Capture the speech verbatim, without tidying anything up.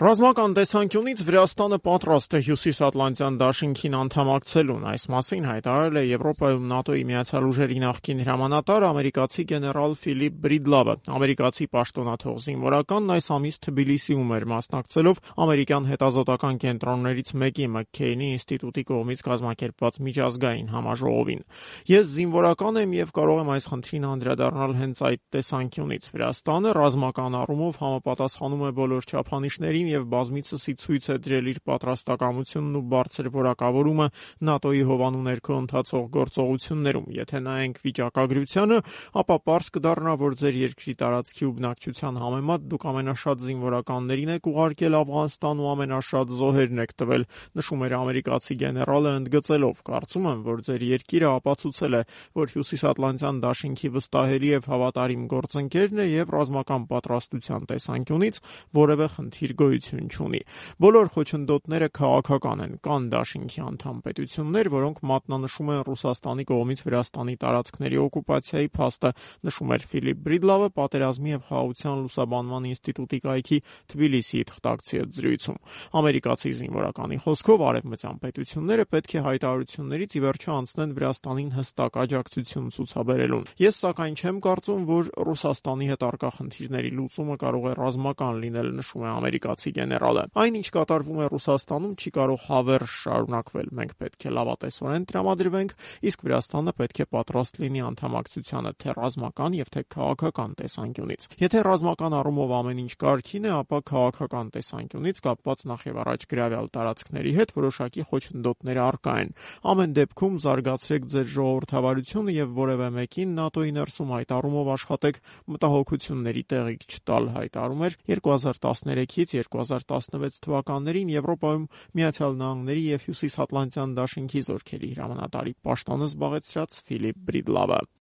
Ռազմական տեսանկյունից Վրաստանը պատրաստ է Հյուսիսատլանտյան դաշինքին անդամակցելուն։ Այս մասին հայտարարել է Եվրոպայում ՆԱՏՕ-ի միացյալ ուժերի նախկին հրամանատար ամերիկացի գեներալ Ֆիլիպ Բրիդլավը։ Ամերիկացի պաշտոնաթող զինվորականն այս ամիս Թբիլիսիում էր մասնակցելով ամերիկյան հետազոտական կենտրոններից մեկի Մաքքեյնի ինստիտուտի կողմից կազմակերպված միջազգային համաժողովին։ Ես զինվորական եմ եւ կարող եմ այս խնդրին անդրադառնալ հենց այդ տեսանկյունից։ Վրաստանը ռազմական առումով համապատասխանում է բոլոր չափանիշներին եւ բազմիցսի ցույց է դրել իր պատրաստակամությունն ու բարձր որակավորումը ՆԱՏՕ-ի հովանու ներքո ընթացող գործողություններում։ Եթե նայենք վիճակագրությանը, ապա պարզ կդառնա, որ ձեր երկրի տարածքի ու բնակչության համեմատ դուք ամենաշատ զինվորականներին եք ուղարկել Աֆղանստան ու ամենաշատ զոհերն եք տվել, նշում էր ամերիկացի գեներալը ընդգծելով. կարծում եմ, որ ձեր երկիրը ապացուցել է, որ Հյուսիսատլանտյան դաշինքի վստահելի եւ հավատարիմ գործընկերն է եւ ռազմական պատրաստության տեսանկյունից որևէ խնդիր գոյություն չունի։ Բոլոր խոչընդոտները քաղաքական են, կան դաշինքի անդամ պետություններ, որոնք մատնանշում են Ռուսաստանի կողմից Վրաստանի տարածքների օկուպացիայի փաստը, նշում էր Ֆիլիպ Բրիդլավը պատերազմի եւ խաղաղության լուսաբանման ինստիտուտի կայքի Թբիլիսիի թղթակցի հետ զրույցում։ Ամերիկացի զինվորականի խոսքով արևմտյան պետությունները պետք է հայտարարություններից ի վերջո անցնեն Վրաստանին հստակ աջակցություն ցուցաբերելուն։ Ես սակայն չեմ կարծում, որ Ռուսաստանի հետ առկա խնդիրների լուծումը կարող է ռազմական լինել, նշում է ամերիկացի գեներալը։ Այն, ինչ կատարվում է Ռուսաստանում, չի կարող հավերժ շարունակվել։ Մենք պետք է լավատեսորեն տրամադրվենք, իսկ Վրաստանը պետք է պատրաստ լինի անդամակցությանը թե ռազմական եւ թե քաղաքական տեսանկյունից։ Եթե ռազմական առումով ամեն ինչ կարգին է, ապա քաղաքական տեսանկյունից կապված նախևառաջ գրավյալ տարածքների հետ որոշակի խոչընդոտներ առկա են։ Ամեն դեպքում զարգացրեք ձեր ժողովրդավարությունը եւ որևէ մեկին ՆԱՏՕ-ի ներսում այդ առումով աշխատեք մտահոգությունների տեղիք չտալ, հայտարարում էր երկու հազար տասներեքից երկու հազար տասնվեց թվականներին Եվրոպայում Միացյալ Նահանգների եւ Հյուսիսատլանտյան դաշինքի զորքերի հրամանատարի պաշտոնը զբաղեցրած Ֆիլիպ Բրիդլավը։